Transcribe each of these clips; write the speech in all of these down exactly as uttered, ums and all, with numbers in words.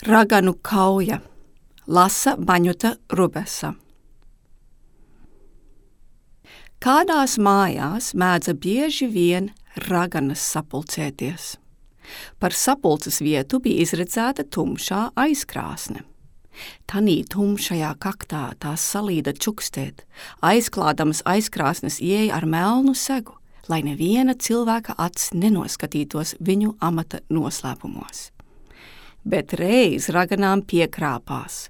Raganu kauja, lasa Maņuta Rubesa. Kādās mājās mēdza bieži vien raganas sapulcēties. Par sapulces vietu bija izredzēta tumšā aizkrāsne. Tanī tumšajā kaktā tās salīda čukstēt, aizklādamas aizkrāsnes ieeja ar melnu segu, lai neviena cilvēka acis nenoskatītos viņu amata noslēpumos. Bet reiz raganām piekrāpās.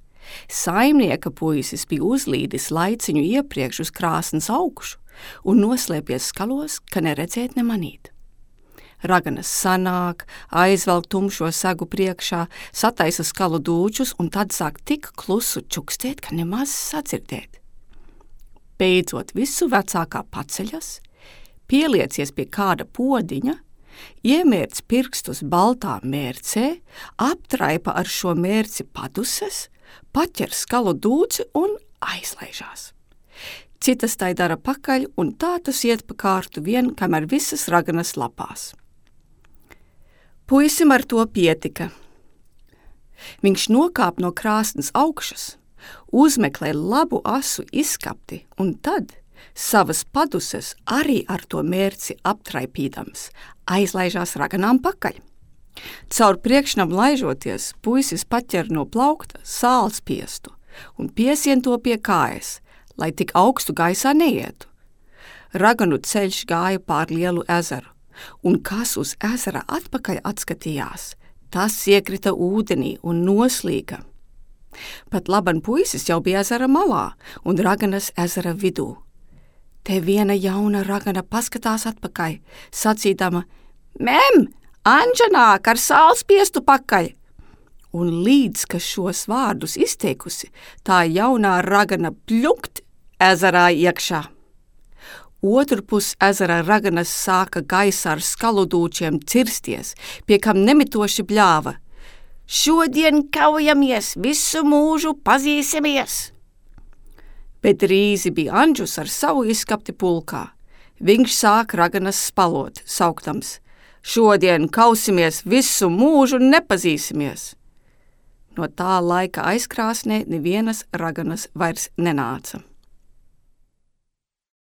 Saimnieka puisis bija uzlīdis laiciņu iepriekš uz krāsnes augšu un noslēpies skalos, ka neredzēt nemanīt. Raganas sanāk, aizvelk tumšo segu priekšā, sataisa skalu dūčus un tad sāk tik klusu čukstēt, ka nemaz sadzirdēt. Beidzot visu vecākā paceļas, pieliecies pie kāda podiņa, iemērc pirstus baltā mērcē, aptraipa ar šo mērci paduses, paķer skalu dūci un aizlaižās. Citas tai dara pakaļ, un tā tas iet pa kārtu vien, kamēr visas raganas lapās. Puisim ar to pietika. Viņš nokāp no krāsnes augšas, uzmeklē labu asu izskapti, un tad savas paduses arī ar to mērci aptraipīdams, aizlaižās raganām pakaļ. Caur priekšnam laižoties, puisis paķer no plaukta sāls piestu un piesien to pie kājas, lai tik augstu gaisā neietu. Raganu ceļš gāja pār lielu ezeru, un kas uz ezera atpakaļ atskatījās, tas iekrita ūdenī un noslīga. Pat laban puisis jau bija ezera malā un raganas ezera vidū. Te viena jauna ragana paskatās atpakaļ, sacīdama: "Mem, Anģa nāk ar sālspiestu pakaļ!" Un līdz, ka šos vārdus izteikusi, tā jaunā ragana pļukt ezerā iekšā. Otrpus ezera raganas sāka gaisā ar skaludūčiem cirsties, pie kam nemitoši bļāva: "Šodien kaujamies, visu mūžu pazīsimies!" Bet rīzi bija Anģus ar savu izskapti pulkā. Viņš sāk raganas spalot, sauktams: "Šodien kausimies, visu mūžu nepazīsimies!" No tā laika aizkrāsnē nevienas raganas vairs nenāca.